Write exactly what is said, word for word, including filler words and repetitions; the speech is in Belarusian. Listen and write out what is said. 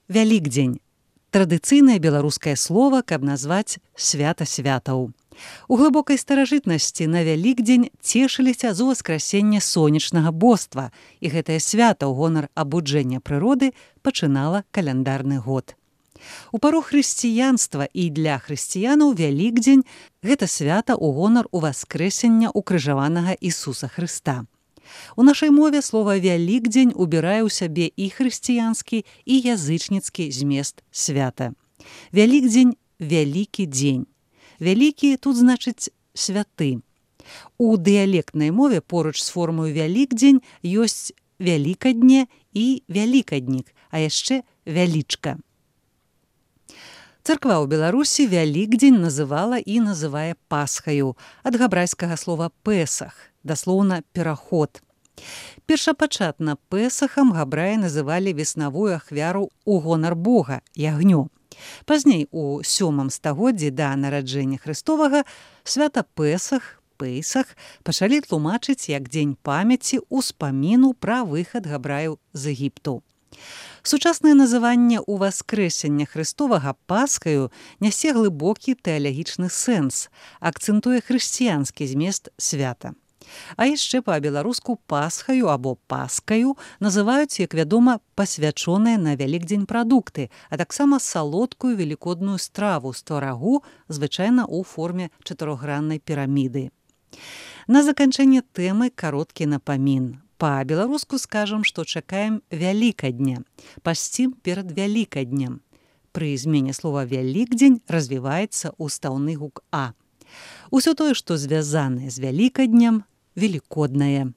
Вялікдзень – традыцыйнае беларускае слова, каб назваць свята святаў. У глыбокай старажытнасці на Вялікдзень цешыліся з уваскрасення сонечнага боства, і гэтае свята ў гонар абуджэння прыроды пачынала каляндарны год. У пару хрысціянства і для хрысціянаў Вялікдзень – гэта свята ў гонар уваскрэсення укрыжаванага Ісуса Хрыста. У нашай мове слова «Вялікдзень» убірае ў сябе і хрысціянскі, і язычніцкі змест свята. Вялікдзень – вялікі дзень. Вялікі тут значыць святы. У дыялектнай мове поруч з формою «Вялікдзень» ёсць «вялікадне» і «вялікаднік», а яшчэ «вялічка». Царква ў Беларусі Вялікдзень называла і называе Пасхаю, ад габрайскага слова «песах», даслоўна «пераход». Першапачатна песахам габраі называлі веснавую ахвяру ў гонар Бога, ягнё. Пазней, у сёмым стагоддзі да нараджэння Хрыстовага, свята Песах, Пейсах пачалі тлумачыць як дзень памяці ўспаміну пра выхад габраяў з Егіпту. Сучаснае называнне ўваскрэсення Хрыстовага Пасхаю нясе глыбокі тэалагічны сэнс, акцэнтуе хрысціянскі змест свята. А яшчэ па-беларуску Пасхаю або Паскаю называюць, як вядома, пасвячоныя на Вялікдзень прадукты, а таксама салодкую велікодную страву з тварагу, звычайна ў форме чатырохграннай піраміды. На заканчэнне тэмы кароткі напамін. Па-беларуску скажам, што чакаем Вялікадня, пасцім перад Вялікаднем. Пры змене слова «Вялікдзень» развіваецца устаўны гук «а». Усё тое, што звязанае з Вялікаднем, велікоднае.